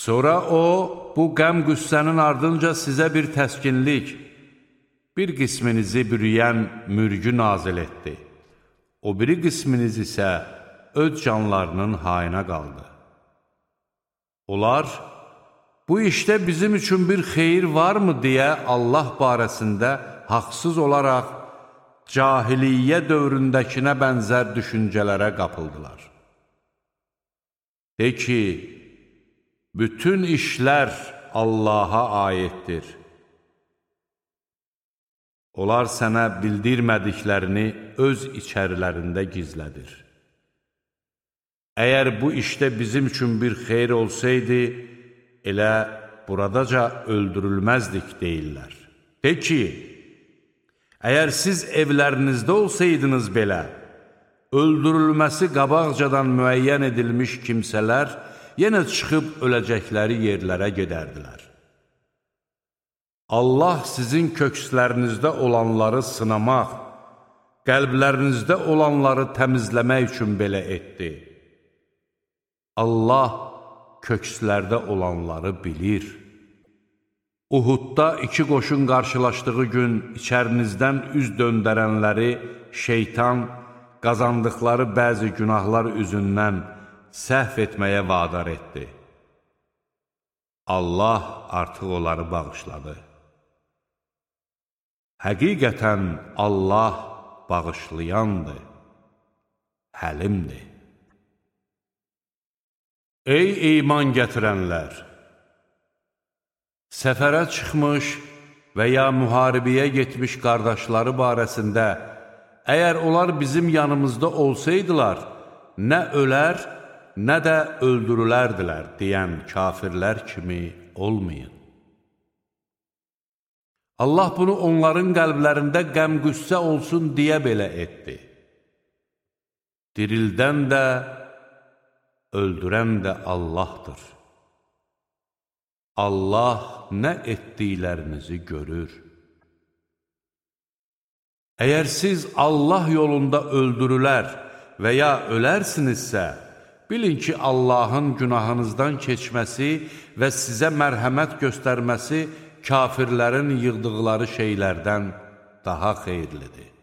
Sonra o, bu qəm-qüssənin ardınca sizə bir təskinlik, bir qisminizi bürüyən mürgü nazil etdi. O biri qisminiz isə öz canlarının hayına qaldı. Onlar, bu işdə bizim üçün bir xeyir varmı deyə Allah barəsində haqsız olaraq cahiliyyə dövründəkinə bənzər düşüncələrə qapıldılar. De ki, bütün işlər Allaha aiddir. Onlar sənə bildirmədiklərini öz içərilərində gizlədir. Əgər bu işdə bizim üçün bir xeyir olsaydı, elə buradaca öldürülməzdik deyirlər. De ki, əgər siz evlərinizdə olsaydınız belə, öldürülməsi qabaqcadan müəyyən edilmiş kimsələr yenə çıxıb öləcəkləri yerlərə gedərdilər. Allah sizin kökslərinizdə olanları sınamaq, qəlblərinizdə olanları təmizləmək üçün belə etdi. Allah kökslərdə olanları bilir. Uhudda iki qoşun qarşılaşdığı gün içərinizdən üz döndərənləri şeytan qazandıqları bəzi günahlar üzündən səhv etməyə vadar etdi. Allah artıq onları bağışladı. Həqiqətən Allah bağışlayandır, həlimdir. Ey iman gətirənlər! Səfərə çıxmış və ya müharibəyə getmiş qardaşları barəsində, əgər onlar bizim yanımızda olsaydılar, nə ölər, nə də öldürülərdilər deyən kafirlər kimi olmayın. Allah bunu onların qəlblərində qəm-qüssə olsun deyə belə etdi. Dirildən də, öldürən də Allahdır. Allah nə etdiklərinizi görür. Əgər siz Allah yolunda öldürülər və ya ölərsinizsə, bilin ki, Allahın günahınızdan keçməsi və sizə mərhəmət göstərməsi kafirlərin yığdıqları şeylərdən daha xeyirlidir.